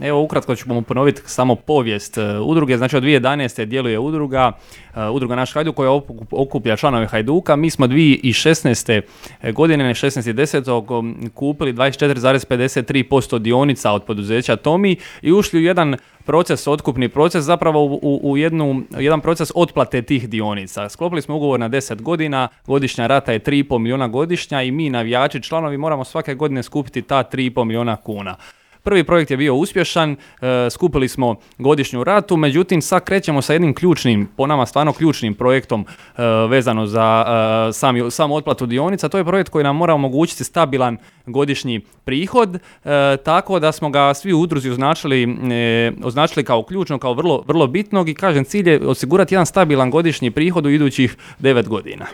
Evo ukratko ćemo ponoviti samo povijest udruge. Znači od 2011. djeluje udruga Naš Hajduk koja okuplja članove Hajduka. Mi smo 2016. godine, 16.10. kupili 24,53% dionica od poduzeća Tomi i ušli u jedan proces, otkupni proces, zapravo u jedan proces otplate tih dionica. Sklopili smo ugovor na 10 godina, godišnja rata je 3,5 milijuna godišnja i mi, navijači, članovi, moramo svake godine skupiti ta 3,5 milijuna kuna. Prvi projekt je bio uspješan, skupili smo godišnju ratu, međutim sad krećemo sa jednim ključnim, po nama stvarno ključnim projektom vezano za samu otplatu dionica. To je projekt koji nam mora omogućiti stabilan godišnji prihod, tako da smo ga svi u udruzi označili kao ključno, kao vrlo, vrlo bitnog i kažem cilj je osigurati jedan stabilan godišnji prihod u idućih 9 godina.